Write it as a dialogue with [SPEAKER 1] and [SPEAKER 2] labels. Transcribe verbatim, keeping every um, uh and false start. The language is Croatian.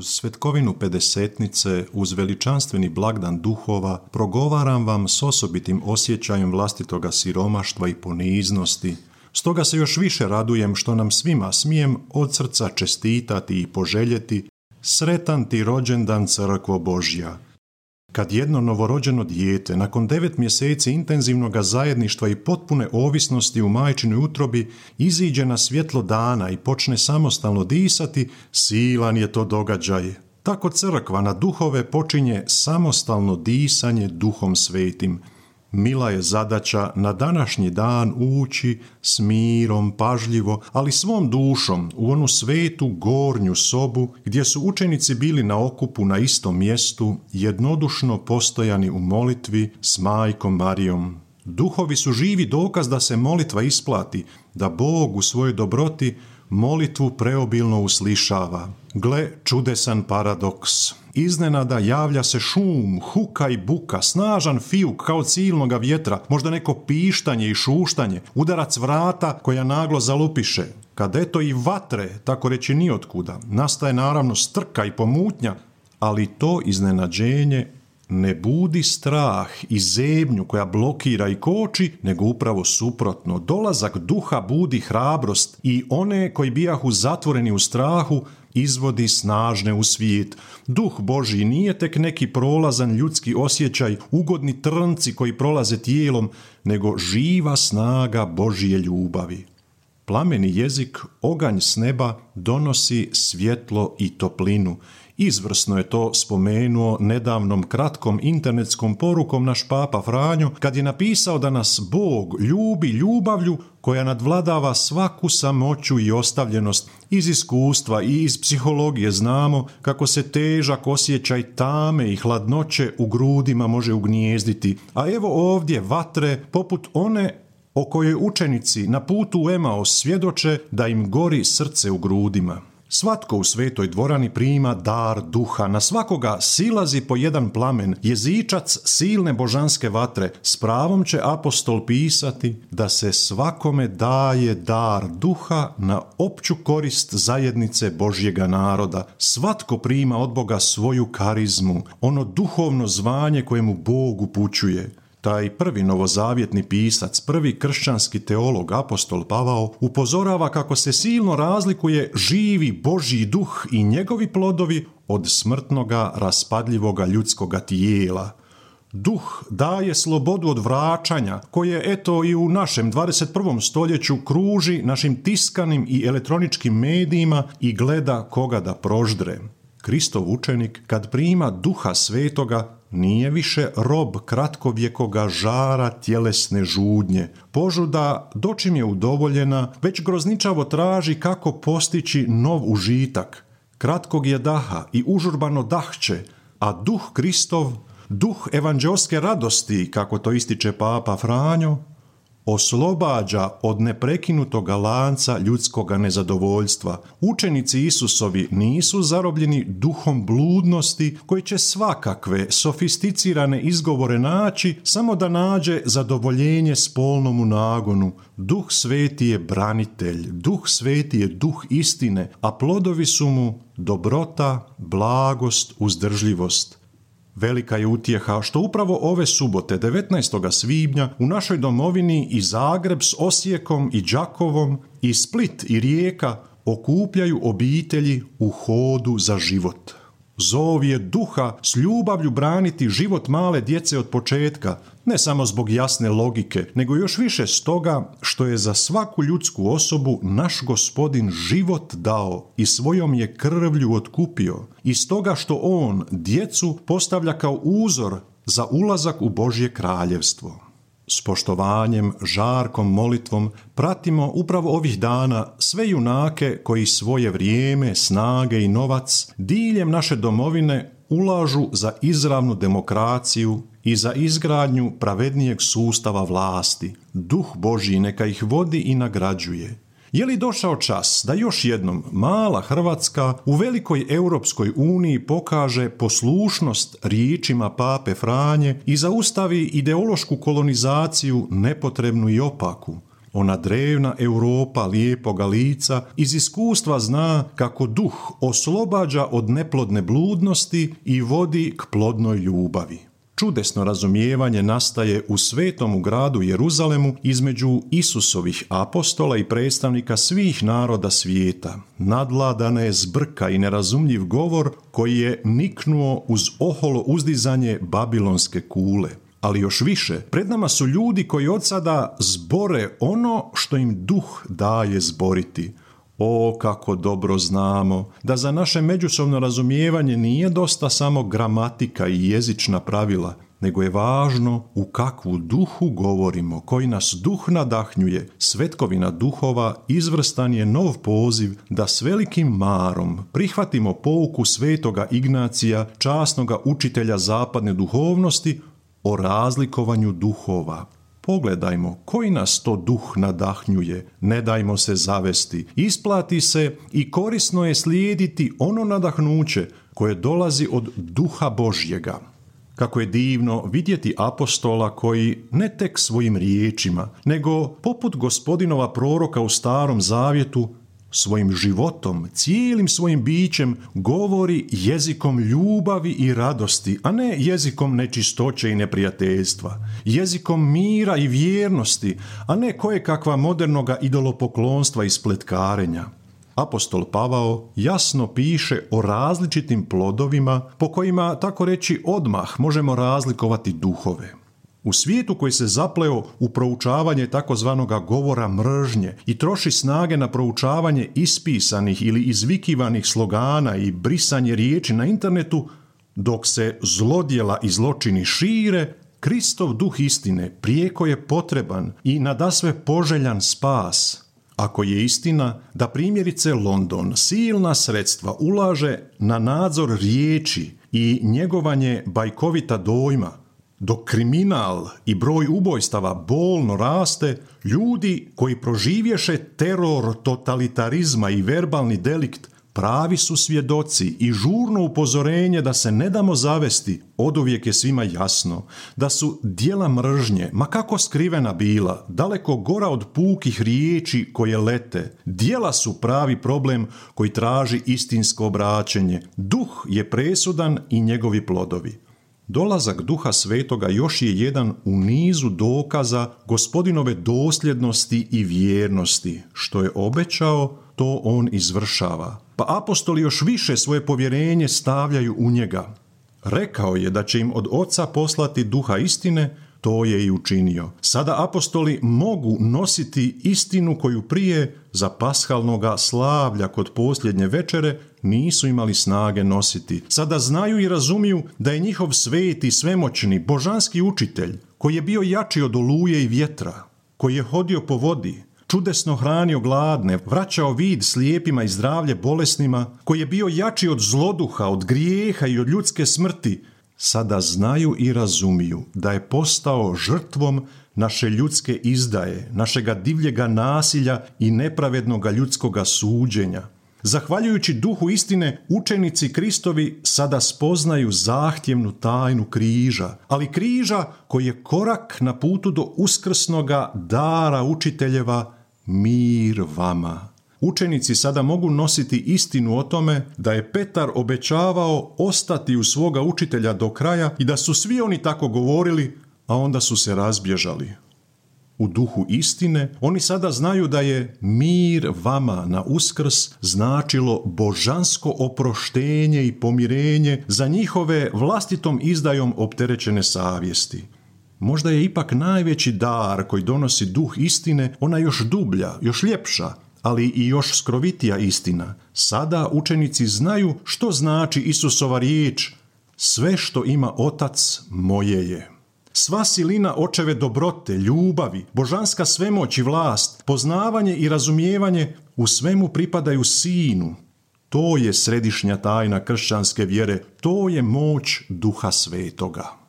[SPEAKER 1] uz svetkovinu pedesetnice, uz veličanstveni blagdan duhova, progovaram vam s osobitim osjećajem vlastitoga siromaštva i poniznosti. Stoga se još više radujem što nam svima smijem od srca čestitati i poželjeti sretan ti rođendan, crkvo Božja. Kad jedno novorođeno dijete, nakon devet mjeseci intenzivnog zajedništva i potpune ovisnosti u majčinoj utrobi, iziđe na svjetlo dana i počne samostalno disati, silan je to događaj. Tako crkva na duhove počinje samostalno disanje Duhom Svetim. Mila je zadaća na današnji dan ući s mirom, pažljivo, ali svom dušom u onu svetu gornju sobu gdje su učenici bili na okupu na istom mjestu, jednodušno postojani u molitvi s majkom Marijom. Duhovi su živi dokaz da se molitva isplati, da Bog u svojoj dobroti molitvu preobilno uslišava. Gle, čudesan paradoks. Iznenada javlja se šum, huka i buka, snažan fijuk kao silnoga vjetra, možda neko pištanje i šuštanje, udarac vrata koja naglo zalupiše. Kad eto i vatre, tako reći nijotkuda, nastaje naravno strka i pomutnja, ali to iznenađenje ne budi strah i zebnju koja blokira i koči, nego upravo suprotno. Dolazak duha budi hrabrost i one koji bijahu zatvoreni u strahu izvodi snažne u svijet. Duh Božji nije tek neki prolazan ljudski osjećaj, ugodni trnci koji prolaze tijelom, nego živa snaga Božje ljubavi. Plameni jezik, oganj s neba, donosi svjetlo i toplinu. Izvrsno je to spomenuo nedavnom kratkom internetskom porukom naš Papa Franjo, kad je napisao da nas Bog ljubi ljubavlju koja nadvladava svaku samoću i ostavljenost. Iz iskustva i iz psihologije znamo kako se težak osjećaj tame i hladnoće u grudima može ugnijezditi, a evo ovdje vatre poput one o kojoj učenici na putu u Emaus svjedoče da im gori srce u grudima. Svatko u svetoj dvorani prima dar duha, na svakoga silazi po jedan plamen, jezičac silne božanske vatre. S pravom će apostol pisati da se svakome daje dar duha na opću korist zajednice Božjega naroda. Svatko prima od Boga svoju karizmu, ono duhovno zvanje kojemu Bog upućuje. Taj prvi novozavjetni pisac, prvi kršćanski teolog, apostol Pavao, upozorava kako se silno razlikuje živi Božji duh i njegovi plodovi od smrtnoga, raspadljivoga ljudskoga tijela. Duh daje slobodu od vraćanja, koje eto i u našem dvadeset prvom stoljeću kruži našim tiskanim i elektroničkim medijima i gleda koga da proždre. Kristov učenik, kad prima Duha Svetoga, nije više rob kratkovjekoga žara tjelesne žudnje. Požuda, dočim je udovoljena, već grozničavo traži kako postići nov užitak. Kratkog je daha i užurbano dahće, a duh Kristov, duh evanđeoske radosti, kako to ističe Papa Franjo, oslobađa od neprekinutoga lanca ljudskoga nezadovoljstva. Učenici Isusovi nisu zarobljeni duhom bludnosti koji će svakakve sofisticirane izgovore naći samo da nađe zadovoljenje spolnomu nagonu. Duh Sveti je branitelj, Duh Sveti je duh istine, a plodovi su mu dobrota, blagost, uzdržljivost. Velika je utjeha što upravo ove subote, devetnaestog svibnja, u našoj domovini i Zagreb s Osijekom i Đakovom, i Split i Rijeka okupljaju obitelji u hodu za život. Zov je duha s ljubavlju braniti život male djece od početka, ne samo zbog jasne logike, nego još više stoga što je za svaku ljudsku osobu naš Gospodin život dao i svojom je krvlju otkupio, i stoga što on djecu postavlja kao uzor za ulazak u Božje kraljevstvo. S poštovanjem, žarkom molitvom pratimo upravo ovih dana sve junake koji svoje vrijeme, snage i novac diljem naše domovine ulažu za izravnu demokraciju i za izgradnju pravednijeg sustava vlasti. Duh Božji neka ih vodi i nagrađuje. Je li došao čas da još jednom mala Hrvatska u velikoj Europskoj uniji pokaže poslušnost riječima Pape Franje i zaustavi ideološku kolonizaciju nepotrebnu i opaku? Ona drevna Europa lijepoga lica iz iskustva zna kako duh oslobađa od neplodne bludnosti i vodi k plodnoj ljubavi. Čudesno razumijevanje nastaje u svetomu gradu Jeruzalemu između Isusovih apostola i predstavnika svih naroda svijeta. Nadvladana je zbrka i nerazumljiv govor koji je niknuo uz oholo uzdizanje babilonske kule. Ali još više, pred nama su ljudi koji od sada zbore ono što im duh daje zboriti. O, kako dobro znamo da za naše međusobno razumijevanje nije dosta samo gramatika i jezična pravila, nego je važno u kakvu duhu govorimo, koji nas duh nadahnjuje. Svetkovina duhova izvrstan je nov poziv da s velikim marom prihvatimo pouku svetoga Ignacija, časnoga učitelja zapadne duhovnosti, o razlikovanju duhova. Pogledajmo koji nas to duh nadahnjuje, ne dajmo se zavesti, isplati se i korisno je slijediti ono nadahnuće koje dolazi od duha Božjega. Kako je divno vidjeti apostola koji ne tek svojim riječima, nego poput gospodinova proroka u Starom Zavjetu, svojim životom, cijelim svojim bićem govori jezikom ljubavi i radosti, a ne jezikom nečistoće i neprijateljstva, jezikom mira i vjernosti, a ne kojekakva modernoga idolopoklonstva i spletkarenja. Apostol Pavao jasno piše o različitim plodovima po kojima, tako reći, odmah možemo razlikovati duhove. U svijetu koji se zapleo u proučavanje takozvanoga govora mržnje i troši snage na proučavanje ispisanih ili izvikivanih slogana i brisanje riječi na internetu, dok se zlodjela i zločini šire, Kristov duh istine prijeko je potreban i nadasve poželjan spas. Ako je istina da primjerice London silna sredstva ulaže na nadzor riječi i njegovanje bajkovita dojma, dok kriminal i broj ubojstava bolno raste, ljudi koji proživješe teror totalitarizma i verbalni delikt pravi su svjedoci i žurno upozorenje da se ne damo zavesti. Oduvijek je svima jasno da su djela mržnje, ma kako skrivena bila, daleko gora od pukih riječi koje lete. Djela su pravi problem koji traži istinsko obraćenje. Duh je presudan i njegovi plodovi. Dolazak Duha Svetoga još je jedan u nizu dokaza Gospodinove dosljednosti i vjernosti. Što je obećao, to on izvršava. Pa apostoli još više svoje povjerenje stavljaju u njega. Rekao je da će im od Oca poslati Duha istine, to je i učinio. Sada apostoli mogu nositi istinu koju prije za pashalnoga slavlja kod posljednje večere nisu imali snage nositi. Sada znaju i razumiju da je njihov sveti, svemoćni, božanski učitelj, koji je bio jači od oluje i vjetra, koji je hodio po vodi, čudesno hranio gladne, vraćao vid slijepima i zdravlje bolesnima, koji je bio jači od zloduha, od grijeha i od ljudske smrti, sada znaju i razumiju da je postao žrtvom naše ljudske izdaje, našega divljega nasilja i nepravednoga ljudskoga suđenja. Zahvaljujući duhu istine, učenici Kristovi sada spoznaju zahtjevnu tajnu križa, ali križa koji je korak na putu do uskrsnoga dara učiteljeva, mir vama. Učenici sada mogu nositi istinu o tome da je Petar obećavao ostati u svoga učitelja do kraja i da su svi oni tako govorili, a onda su se razbježali. U duhu istine oni sada znaju da je mir vama na Uskrs značilo božansko oproštenje i pomirenje za njihove vlastitom izdajom opterećene savjesti. Možda je ipak najveći dar koji donosi duh istine ona još dublja, još ljepša, ali i još skrovitija istina. Sada učenici znaju što znači Isusova riječ: sve što ima Otac moje je. Sva silina očeve dobrote, ljubavi, božanska svemoć i vlast, poznavanje i razumijevanje u svemu pripadaju Sinu. To je središnja tajna kršćanske vjere, to je moć Duha Svetoga.